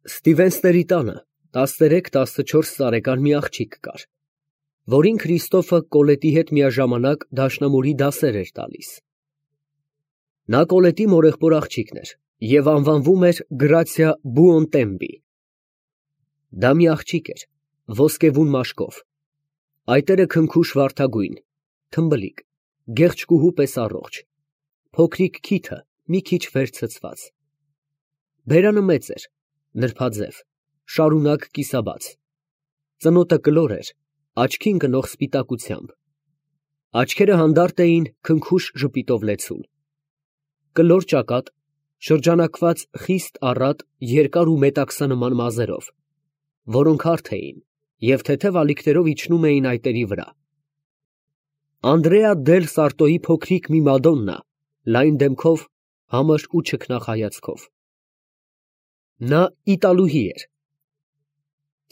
Ստիվենսների տանը 13-14 տարեկան մի աղջիկ կար, որին Քրիստոֆը Կոլետի հետ միաժամանակ դաշնամուրի դասեր էր տալիս։ Նա Կոլետի մորեղբոր աղջիկն էր և անվանվում էր Գրացիա Բուոնտեմպի։ Դա մի աղջիկ էր, ոսկեվուն մաշկով, այտերը քնքուշ վարդագույն, թմբլիկ, գեղեցկուհու պես առողջ, փոքրիկ քիթը մի քիչ վեր ցցված։ Բերանը մեծ էր, նրբաձև, շարունակ կիսաբաց, ծնոտը կլոր էր, աչքին գնող սպիտակությամբ, աչքերը հանդարտ էին քնքուշ ժպիտով լեցուն, կլոր ճակատ, շրջանակված խիստ առատ երկար ու մետաքսանման մազերով, որոնք հարթ էին և թեթև ալիքներով իջնում էին այտերի վրա։ Անդրեա դել Սարտոյի փոքրիկ մի Մադոննա, լայն դեմքով, համր ու չքնաղ հայացքով։ Նա իտալուհի էր։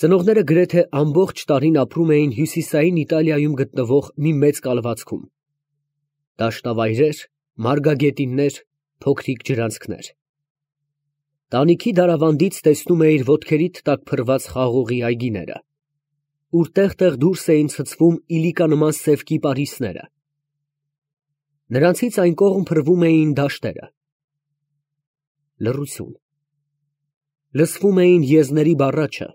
Ծնողները գրեթե ամբողջ տարին ապրում էին հյուսիսային Իտալիայում գտնվող մի մեծ կալվածքում։ Դաշնավայրեր, մարգագետիններ, փոքրիկ ջրանցքներ։ Տանիքի դարավանդից տեսնում էիր ոտքերիդ տակ փռված խաղողի այգիները, ուր տեղ-տեղ դուրս էին ցցվում իլիկանման սև կիպարիսները։ Նրանցից այն կողմ փռվում էին դաշտերը։ Լռություն։ Լսվում էին եզների բառաչը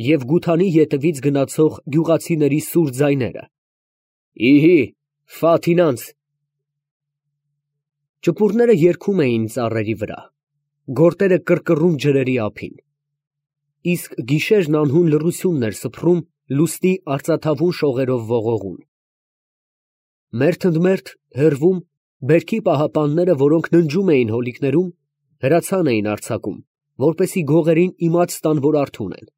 և գութանի ետևից գնացող գյուղացիների սուր ձայները. «Իհի, Ֆաթինանց»։ Ճպուրները երգում էին ծառերի վրա, գորտերը կռկռում ջրերի ափին, իսկ գիշերն անհուն լռությունն էր սփռում լուսնի արծաթավուն շողերով ողողուն։ Մերթ ընդ մերթ հեռվում բերքի պահապանները, որոնք ննջում էին հոլիկներում, հրացան էին արձակում, որպեսզի գողերին իմաց տան, որ արթուն են։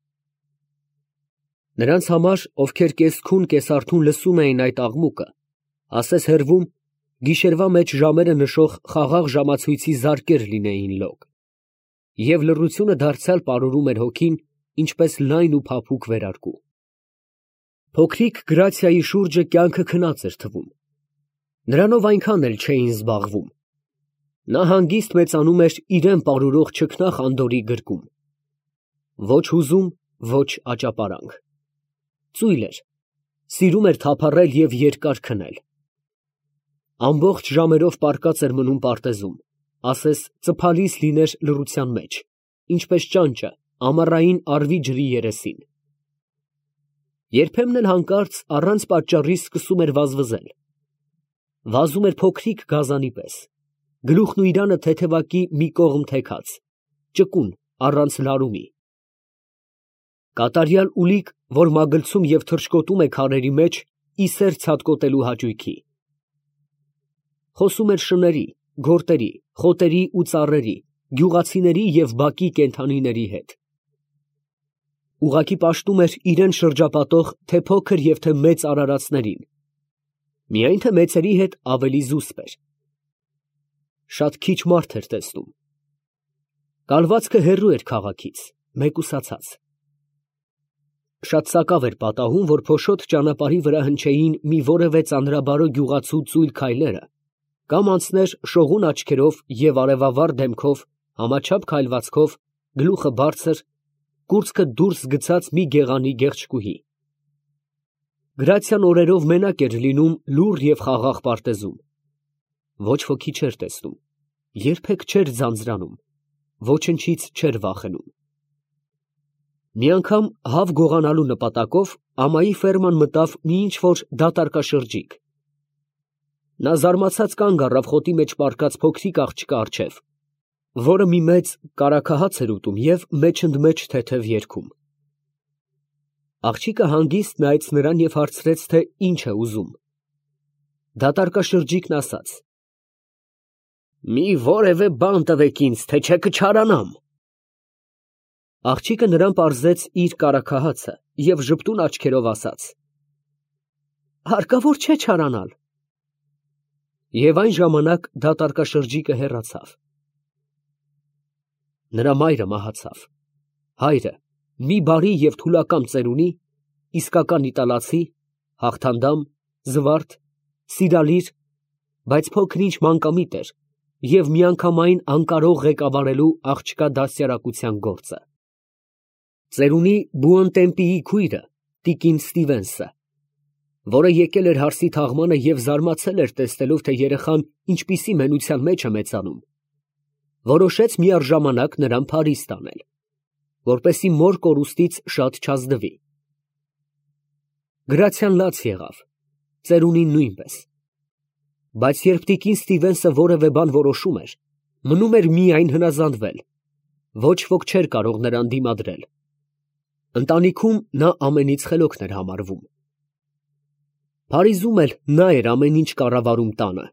Նրանց համար, ովքեր կես֊քուն, կես֊արթուն լսում էին այդ աղմուկը, ասես հեռվում գիշերվա մեջ ժամերը նշող խաղաղ ժամացույցի զարկեր լինեին լոկ, և լռությունը դարձյալ պարուրում էր հոգին, ինչպես լայն ու փափուկ վերարկու։ Փոքրիկ Գրացիայի շուրջը կյանքը քնած էր թվում։ Նրանով այնքան էլ չէին զբաղվում։ Նա հանգիստ մեծանում էր իրան պարուրող չքնաղ անդորրի գրկում։ Ոչ հուզում, ոչ աճապարանք։ Ծույլ էր, սիրում էր թափառել և երկար քնել։ Ամբողջ ժամերով պառկած էր մնում պարտեզում, ասես ծփալիս լիներ լռության մեջ, ինչպես ճանճը ամառային առվի ջրի երեսին։ Երբեմն էլ հանկարծ առանց պատճառի սկսում էր վազվզել։ Վազում էր փոքրիկ գազանի պես, գլուխն ու իրանը թեթևակի մի կողմ թեքած, ճկուն, առանց լարումի։ Կատարյալ ուլիկ, որ մագլցում և թռչկոտում է քարերի մեջ ի սեր ցատկոտելու հաճույքի։ Խոսում էր շների, գորտերի, խոտերի ու ծառերի, գյուղացիների և բակի կենդանիների հետ։ Ուղղակի պաշտում էր իրան շրջապատող թե փոքր և թե մեծ արարածներին, միայն թե մեծերի հետ ավելի զուսպ էր։ Շատ քիչ մարդ էր տեսնում։ Կալվածքը հեռու էր քաղաքից, մեկուսացած։ Շատ սակավ էր պատահում, որ փոշոտ ճանապարհի վրա հնչեին մի որևէ ծանրաբարո գյուղացու ծույլ քայլերը, կամ անցներ շողուն աչքերով և արևավառ դեմքով, համաչափ քայլվածքով, գլուխը բարձր, կուրծքը դուրս գցած մի գեղանի գեղեցկուհի։ Գրացիան օրերով մենակ էր լինում լուռ և խաղաղ պարտեզում։ Ոչ ոքի չէր տեսնում, երբեք չէր ձանձրանում, ոչնչից չէր վախենում։ Մի անգամ հավ գողանալու նպատակով ամայի ֆերման մտավ մի ինչ֊որ դատարկաշրջիկ։ Նա զարմացած կանգ առավ խոտի մեջ պառկած փոքրիկ աղջկա առջև, որը մի մեծ կարագահաց էր ուտում և մեջընդմեջ թեթև երգում։ Աղջիկը հանգիստ նայեց նրան և հարցրեց, թե ինչ է ուզում։ Դատարկաշրջիկն ասաց. «Մի որևէ բան տվեք ինձ, թե չէ կչարանամ»։ Աղջիկը նրան պարզեց իր կարագահացը և ժպտուն աչքերով ասաց. «Հարկավոր չէ չարանալ»։ Եվ այն ժամանակ դատարկաշրջիկը հեռացավ։ Նրա մայրը մահացավ։ Հայրը, մի բարի և թուլակամ ծերունի, իսկական իտալացի, հաղթանդամ, զվարթ, սիրալիր, բայց փոքր ինչ մանկամիտ էր և միանգամայն անկարող ղեկավարելու աղջկա դաստիարակության գործը։ Ծերունի Բուոնտեմպիի քույրը տիկին Ստիվենսը, որը եկել էր հարսի թաղմանը և զարմացել էր տեսնելով, թե երեխան ինչպիսի մենության մեջ է մեծանում, որոշեց միառժամանակ նրան Փարիզ տանել, որպեսզի մոր կորուստից շատ չազդվի։ Գրացիան լաց եղավ, ծերունին նույնպես, բայց երբ տիկին Ստիվենսը որևէ բան որոշում էր, մնում էր միայն հնազանդվել, ոչ ոք չէր կարող նրան դիմադրել։ Ընտանիքում նա ամենից խելոքն էր համարվում։ Փարիզում էլ նա էր ամեն ինչ կառավարում տանը,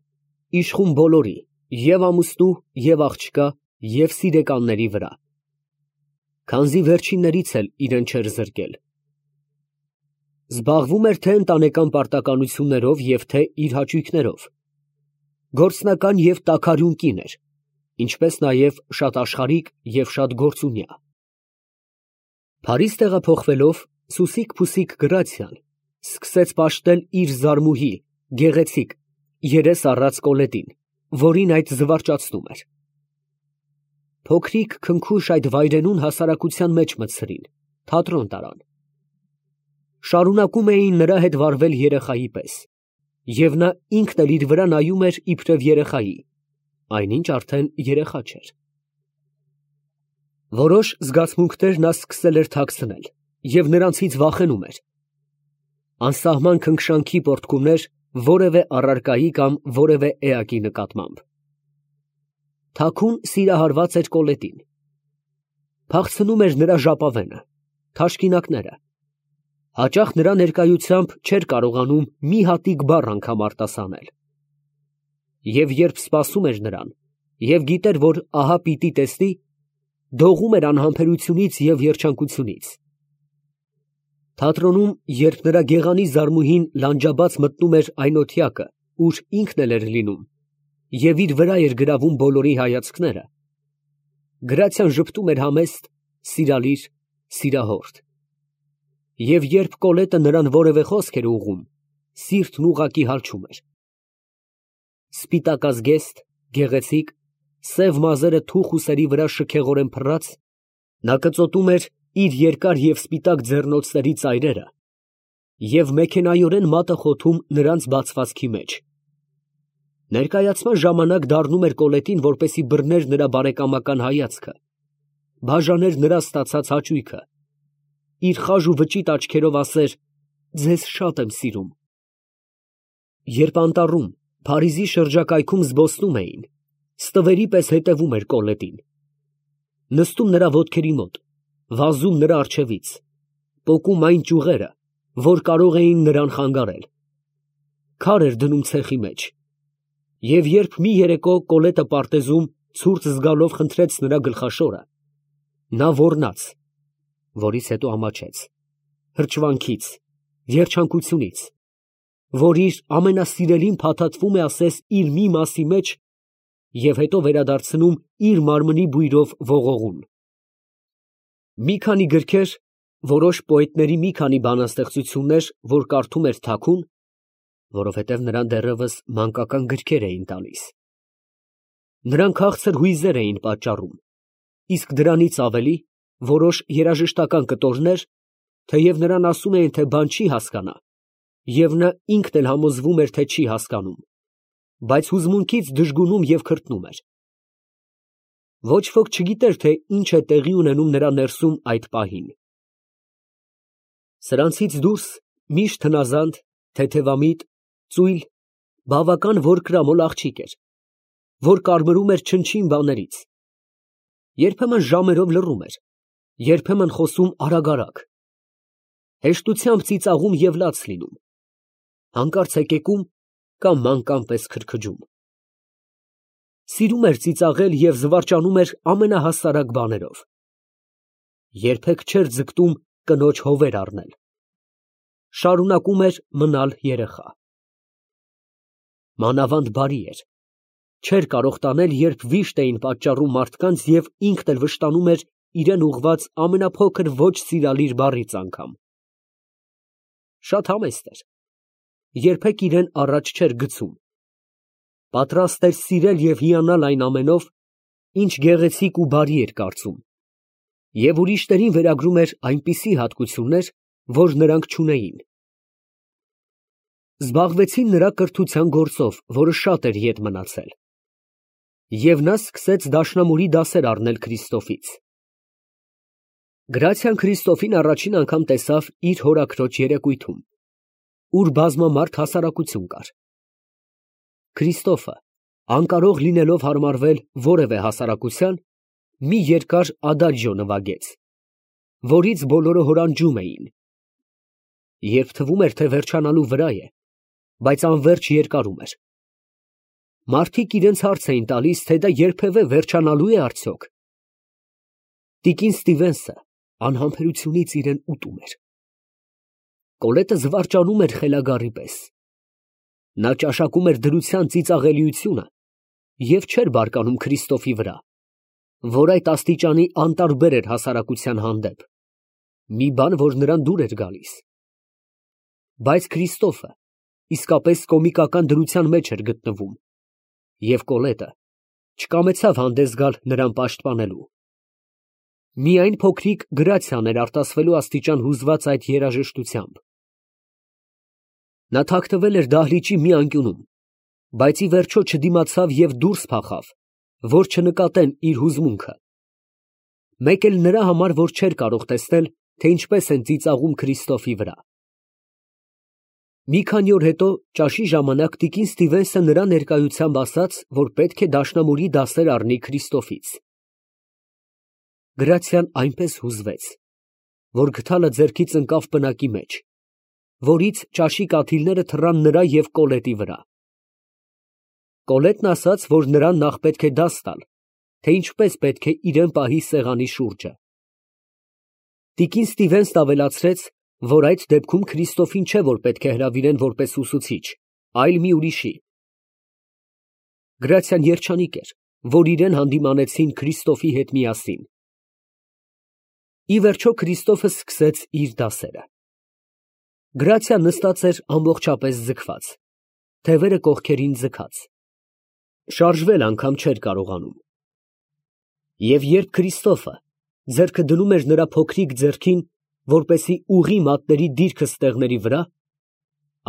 իշխում բոլորի, և ամուսնու, և աղջկա, և սիրեկանների վրա, քանզի վերջիններից էլ իրեն չէր զրկել։ Զբաղվում էր թե ընտանեկան պարտականություններով և թե իր հաճույքներով, գործնական և տաքարյուն կին էր, ինչպես նաև շատ աշխարհիկ և շատ գործունյա։ Փարիզ տեղափոխվելով, սուսիկ֊փուսիկ Գրացիան սկսեց պաշտել իր զարմուհի, գեղեցիկ, երես առած Կոլետին, որին այդ զվարճացնում էր։ Փոքրիկ քնքուշ այդ վայրենուն հասարակության մեջ մտցրին, թատրոն տարան։ Շարունակում էին նրա հետ վարվել երեխայի պես, և նա ինքն էլ իր վրա նայում էր իբրև երեխայի, այնինչ արդեն երեխա չէր։ Որոշ զգացմունքներ նա սկսել էր թաքցնել և նրանցից վախենում էր։ Անսահման քնքշանքի պոռթկումներ որևէ առարկայի կամ որևէ էակի նկատմամբ։ Թաքուն սիրահարված էր Կոլետին։ Փախցնում էր նրա ժապավենը, թաշկինակները։ Հաճախ նրա ներկայությամբ չէր կարողանում մի հատիկ բառ անգամ արտասանել։ Եվ երբ սպասում էր նրան և գիտեր, որ ահա պիտի տեսնի, դողում էր անհամբերությունից և երջանկությունից։ Թատրոնում, երբ նրա գեղանի զարմուհին լանջաբաց մտնում էր այն օթյակը, ուր ինքն էլ էր լինում, և իր վրա էր գրավում բոլորի հայացքները, Գրացիան ժպտում էր համեստ, սիրալիր, սիրահորդ։ Եվ երբ Կոլետը նրան որևէ խոսք էր ուղղում, սիրտն ուղղակի հալչում էր։ Սպիտակազգեստ, գեղեցիկ, սև մազերը թուխ ուսերի վրա շքեղորեն փռած, նա կծոտում էր իր երկար և սպիտակ ձեռնոցների ծայրերը և մեքենայորեն մատը խոթում նրանց բացվածքի մեջ։ Ներկայացման ժամանակ դառնում էր Կոլետին, որպեսզի բռներ նրա բարեկամական հայացքը, բաժաներ նրա ստացած հաճույքը, իր խաժ ու վճիտ աչքերով ասեր. «Ձեզ շատ եմ սիրում»։ Երբ անտառում, Փարիզի շրջակայքում զբոսնում էին, ստվերի պես հետևում էր Կոլետին, նստում նրա ոտքերի մոտ, վազում նրա առջևից, պոկում այն ճյուղերը, որ կարող էին նրան խանգարել, քար էր դնում ցեխի մեջ, և երբ մի երեկո Կոլետը պարտեզում ցուրտ զգալով խնդրեց նրա գլխաշորը, նա ոռնաց, որից հետո ամաչեց, հրճվանքից, երջանկությունից, որ իր ամենասիրելին փաթաթվում է ասես իր մի մասի մեջ և հետո վերադարձնում իր մարմնի բույրով ողողուն։ Մի քանի գրքեր, որոշ պոետների մի քանի բանաստեղծություններ, որ կարդում էր թաքուն, որովհետև նրան դեռևս մանկական գրքեր էին տալիս, նրան քաղցր հույզեր էին պատճառում, իսկ դրանից ավելի, որոշ երաժշտական կտորներ, թեև նրան ասում էին, թե բան չի հասկանա, և նա ինքն էլ համոզվում էր, թե չի հասկանում, բայց հուզմունքից դժգունում և քրտնում էր։ Ոչ ոք չգիտեր, թե ինչ է տեղի ունենում նրա ներսում այդ պահին։ Սրանցից դուրս միշտ հնազանդ, թեթևամիտ, ծույլ, բավական որկրամոլ աղջիկ էր, որ կարմրում էր չնչին բաներից, երբեմն ժամերով լռում էր, երբեմն խոսում արագ, հեշտությամբ ծիծաղում և լաց լինում, հանկարծ հեկեկում կամ մանկան պես քրքջում։ Սիրում էր ծիծաղել և զվարճանում էր ամենահասարակ բաներով։ Երբեք չէր ձգտում կնոջ հովեր առնել։ Շարունակում էր մնալ երեխա։ Մանավանդ բարի էր, չէր կարող տանել, երբ վիշտ էին պատճառում մարդկանց և ինքն էլ վշտանում էր իրան ուղղված ամենափոքր ոչ սիրալիր բառից անգամ։ Շատ համեստ էր, երբեք իրան առաջ չէր գցում, պատրաստ էր սիրել և հիանալ այն ամենով, ինչ գեղեցիկ ու բարի էր կարծում, Եվ ուրիշներին վերագրում էր այնպիսի հատկություններ, որ նրանք չունեին։ Զբաղվեցին նրա կրթության գործով, որը շատ էր ետ մնացել։ Եվ նա սկսեց դաշնամուրի դասեր առնել Քրիստոֆից։ Գրացիան Քրիստոֆին առաջին անգամ տեսավ իր հորաքրոջ երեկույթում, ուր բազմամարդ հասարակություն կար։ Քրիստոֆը, անկարող լինելով հարմարվել որևէ հասարակության, մի երկար ադաջո նվագեց, որից բոլորը հորանջում էին։ Երբ թվում էր, թե վերջանալու վրա է, բայց անվերջ երկարում էր։ Մարդիկ իրենց հարց էին տալիս, թե դա երբևէ վերջանալու է արդյոք։ Տիկին Ստիվենսը անհամբերությունից իրեն ուտում էր։ Կոլետը զվարճանում էր խելագարի պես։ Նա ճաշակում էր դրության ծիծաղելիությունը և չէր բարկանում Քրիստոֆի վրա, որ այդ աստիճանի անտարբեր էր հասարակության հանդեպ, մի բան, որ նրան դուր էր գալիս։ Բայց Քրիստոֆը իսկապես կոմիկական դրության մեջ էր գտնվում, և Կոլետը չկամեցավ հանդես գալ նրան պաշտպանելու։ Միայն փոքրիկ Գրացիան էր արտասվելու աստիճան հուզված այդ երաժշտությամբ։ Նա թաքնվել էր դահլիճի մի անկյունում, բայց ի վերջո չդիմացավ և դուրս փախավ, որ չնկատեն իր հուզմունքը։ Մեկ էլ նրա համար, որ չէր կարող տեսնել, թե ինչպես են ծիծաղում Քրիստոֆի վրա։ Մի քանի օր հետո ճաշի ժամանակ տիկին Ստիվենսը նրա ներկայությամբ ասաց, որ պետք է դաշնամուրի դասեր առնի Քրիստոֆից։ Գրացիան այնպես հուզվեց, որ գդալը ձեռքից ընկավ պնակի մեջ, որից ճաշի կաթիլները թռան նրա և Կոլետի վրա։ Կոլետն ասաց, որ նրան նախ պետք է դաս տալ, թե ինչպես պետք է իրեն պահի սեղանի շուրջը։ Տիկին Ստիվենսն ավելացրեց, որ այդ դեպքում Քրիստոֆին չէ, որ պետք է հրավիրեն որպես ուսուցիչ, այլ մի ուրիշի։ Գրացիան երջանիկ էր, որ իրեն հանդիմանեցին Քրիստոֆի հետ միասին։ Ի վերջո Քրիստոֆը սկսեց իր դասերը։ Գրացիան նստած էր ամբողջապես ձգված, թևերը կողքերին ձգած, շարժվել անգամ չէր կարողանում։ Եվ երբ Քրիստոֆը ձեռքը դնում էր նրա փոքրիկ ձեռքին, որպեսզի ուղղի մատների դիրքը ստեղների վրա,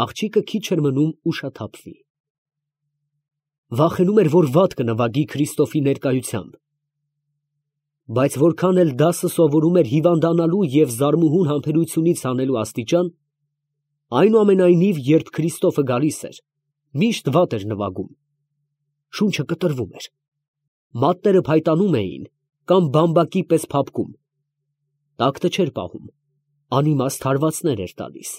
աղջիկը քիչ էր մնում ուշաթափվի։ Վախենում էր, որ վատ կնվագի Քրիստոֆի ներկայությամբ։ Բայց որքան էլ դասը սովորում էր հիվանդանալու և զարմուհուն համբերությունից հանելու աստիճան, այնուամենայնիվ, երբ Քրիստոֆը գալիս էր, միշտ վատ էր նվագում։ Շունչը կտրվում էր, մատները փայտանում էին կամ բամբակի պես փափկում, տակտը չէր պահում, անիմաստ հարվածներ էր տալիս։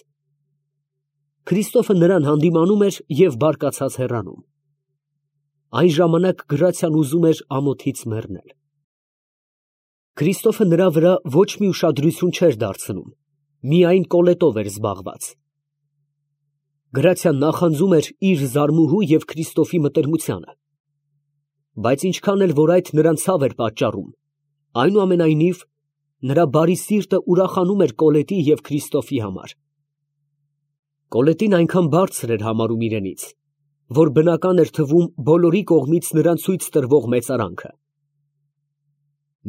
Քրիստոֆը նրան հանդիմանում էր և բարկացած հեռանում։ Այն ժամանակ Գրացիան ուզում էր ամոթից մեռնել։ Քրիստոֆը նրա վրա ոչ մի ուշադրություն չէր դարձնում, միայն Կոլետով էր զբաղված։ Գրացիան նախանձում էր իր զարմուհու և Քրիստոֆի մտերմությանը, բայց ինչքան էլ որ այդ նրան ցավ էր պատճառում, այնուամենայնիվ նրա բարի սիրտը ուրախանում էր Կոլետի և Քրիստոֆի համար։ Կոլետին այնքան բարձր էր համարում իրենից, որ բնական էր թվում բոլորի կողմից նրան ցույց տրվող մեծարանքը։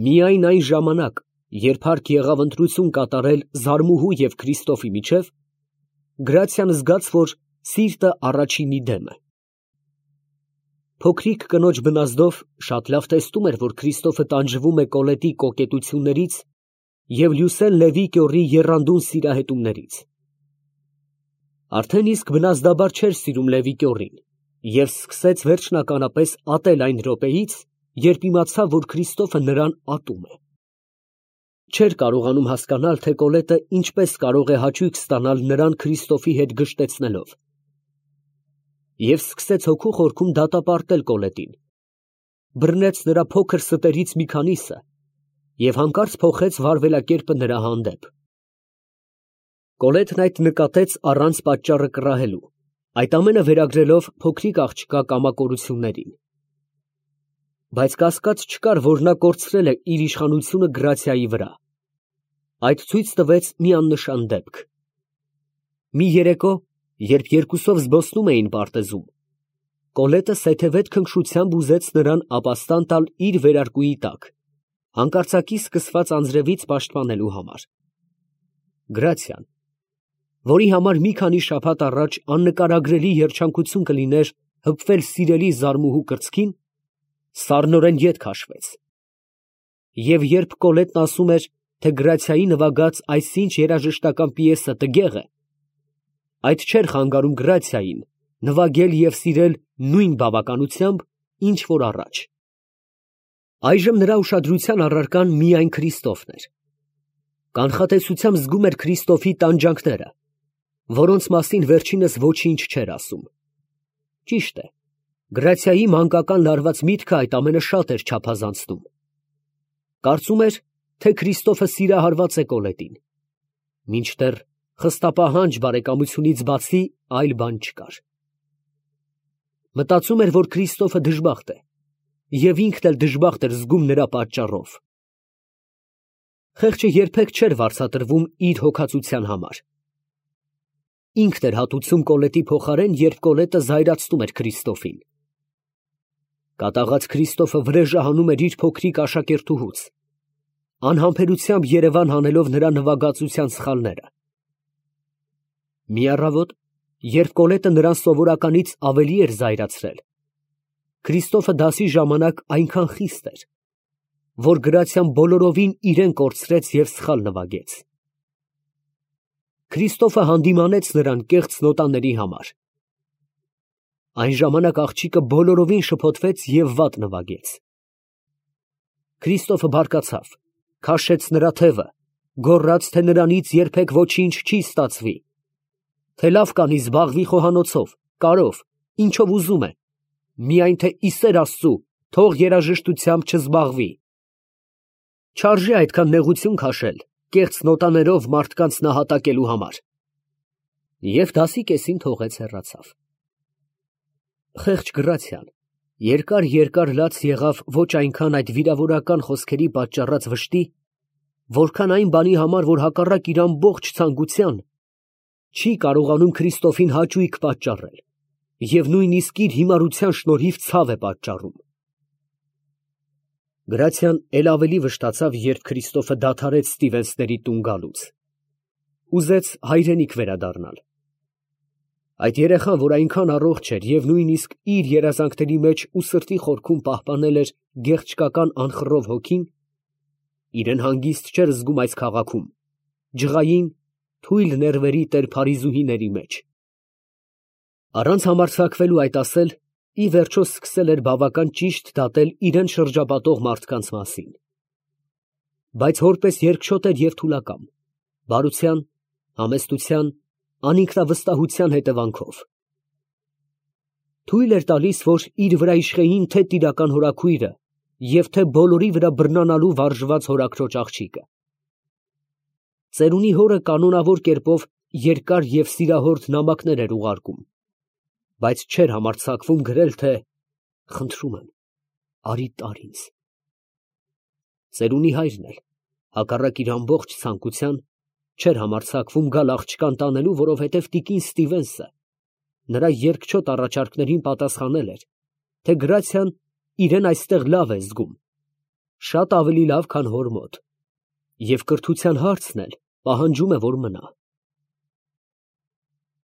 Միայն այն ժամանակ, երբ հարկ եղավ ընտրություն կատարել զարմուհու և Քրիստոֆի միջև, Գրացիան զգաց, որ սիրտը առաջինի դեմ է։ Փոքրիկ կնոջ բնազդով շատ լավ տեսնում էր, որ Քրիստոֆը տանջվում է Կոլետի կոկետություններից և Լյուսեն Լևի կյորի եռանդուն սիրահետումներից։ Արդեն իսկ բնազդաբար չէր սիրում Լևի կյորին և սկսեց վերջնականապես ատել այն րոպեից, երբ իմացավ, որ Քրիստոֆը նրան ատում է։ Չէր կարողանում հասկանալ, թե Կոլետը ինչպես կարող է հաճույք ստանալ նրան Քրիստոֆի հետ գժտեցնելով։ Եվ սկսեց հոգու խորքում դատապարտել Կոլետին, բռնեց նրա փոքր ստերից մի քանիսը և հանկարծ փոխեց վարվելակերպը նրա հանդեպ։ Կոլետն այդ նկատեց առանց պատճառը կռահելու, այդ ամենը վերագրելով փոքրիկ աղջկա կամակորություններին։ Բայց կասկած չկար, որ նա կորցրել է իր իշխանությունը Գրացիայի վրա։ Այդ ցույց տվեց մի աննշան դեպք։ Մի երեկո, երբ երկուսով զբոսնում էին պարտեզում, Կոլետը սեթևետ քնքշությամբ ուզեց նրան ապաստան տալ իր վերարկուի տակ, Հանկարծակի սկսված անձրևից պաշտպանելու համար։ Գրացիան, որի համար մի քանի շաբաթ առաջ աննկարագրելի երջանկություն կլիներ հպվել սիրելի զարմուհու կրծքին, սառնորեն ետ քաշվեց։ Եվ երբ Կոլետն ասում էր, թե Գրացիայի նվագած այսինչ երաժշտական պիեսը տգեղ է, այդ չէր խանգարում Գրացիային նվագել և սիրել նույն բավականությամբ, ինչ որ առաջ։ Այժմ նրա ուշադրության առարկան միայն Քրիստոֆն էր։ Կանխատեսությամբ զգում էր Քրիստոֆի տանջանքները, որոնց մասին վերջինս ոչինչ չէր ասում։ Ճիշտ է, Գրացիայի մանկական լարված միտքը այդ ամենը շատ էր չափազանցնում։ Կարծում էր, թե Քրիստոֆը սիրահարված է Կոլետին, մինչդեռ խստապահանջ բարեկամությունից բացի այլ բան չկար։ Մտածում էր, որ Քրիստոֆը դժբախտ է, և ինքն էլ դժբախտ էր զգում նրա պատճառով։ Խեղճը երբեք չէր վարձատրվում իր հոգածության համար։ Ինքն էր հատուցում Կոլետի փոխարեն, երբ Կոլետը զայրացնում էր Քրիստոֆին։ Կատաղած Քրիստոֆը վրեժը հանում էր իր փոքրիկ աշակերտուհուց, անհամբերությամբ երևան հանելով նրա նվագածության սխալները։ Մի առավոտ, երբ Կոլետը նրան սովորականից ավելի էր զայրացրել, Քրիստոֆը դասի ժամանակ այնքան խիստ էր, որ Գրացիան բոլորովին իրեն կորցրեց և սխալ նվագեց։ Քրիստոֆը հանդիմանեց նրան կեղծ նոտաների համար։ Այն ժամանակ աղջիկը բոլորովին շփոթվեց և վատ նվագեց։ Քրիստոֆը բարկացավ, քաշեց նրա թևը, գոռաց, թե նրանից երբեք ոչինչ չի ստացվի, թե լավ կանի զբաղվի խոհանոցով, կարով, ինչով ուզում է, միայն թե ի սեր Աստծու թող երաժշտությամբ չզբաղվի։ Չարժե այդքան նեղություն քաշել կեղծ նոտաներով մարդկանց նահատակելու համար։ Եվ դասի կեսին թողեց հեռացավ։ Խեղճ Գրացիան երկար լաց եղավ ոչ այնքան այդ վիրավորական խոսքերի պատճառած վշտի, որքան այն բանի համար, որ հակառակ իր ամբողջ ցանկության չի կարողանում Քրիստոֆին հաճույք պատճառել և նույնիսկ իր հիմարության շնորհիվ ցավ է պատճառում։ Գրացիան էլ ավելի վշտացավ, երբ Քրիստոֆը դադարեց Ստիվենսների տուն գալուց։ Ուզեց հայրենիք վերադառնալ։ Այդ երեխան, որ այնքան առողջ էր և նույնիսկ իր երազանքների մեջ ու սրտի խորքում պահպանել էր գեղեցկական անխռով հոգին, իրեն հանգիստ չէր զգում այս քաղաքում, ջղային, թույլ ներվերի տեր փարիզուհիների մեջ։ Առանց համարձակվելու այդ ասել, ի վերջո սկսել էր բավական ճիշտ դատել իրեն շրջապատող մարդկանց մասին։ Բայց որպես երկչոտ էր և թուլակամ, բարության, համեստության, անինքնավստահության հետևանքով։ Թույլ էր տալիս, որ իր վրա իշխեին թե տիրական հորաքույրը և թե բոլորի վրա բռնանալու վարժված հորաքրոջ աղջիկը։ Ծերունի հորը կանոնավոր կերպով երկար և սիրահորդ նամակներ էր ուղարկում, բայց չէր համարձակվում գրել, թե «Խնդրում եմ, արի տար ինձ»։ Ծերունի հայրն էլ, հակառակ իր ամբողջ ցանկության, չէր համարձակվում գալ աղջկան տանելու, որովհետև տիկին Ստիվենսը նրա երկչոտ առաջարկներին պատասխանել էր, թե Գրացիան իրեն այստեղ լավ է զգում, շատ ավելի լավ, քան հոր մոտ, և կրթության հարցն էլ պահանջում է, որ մնա։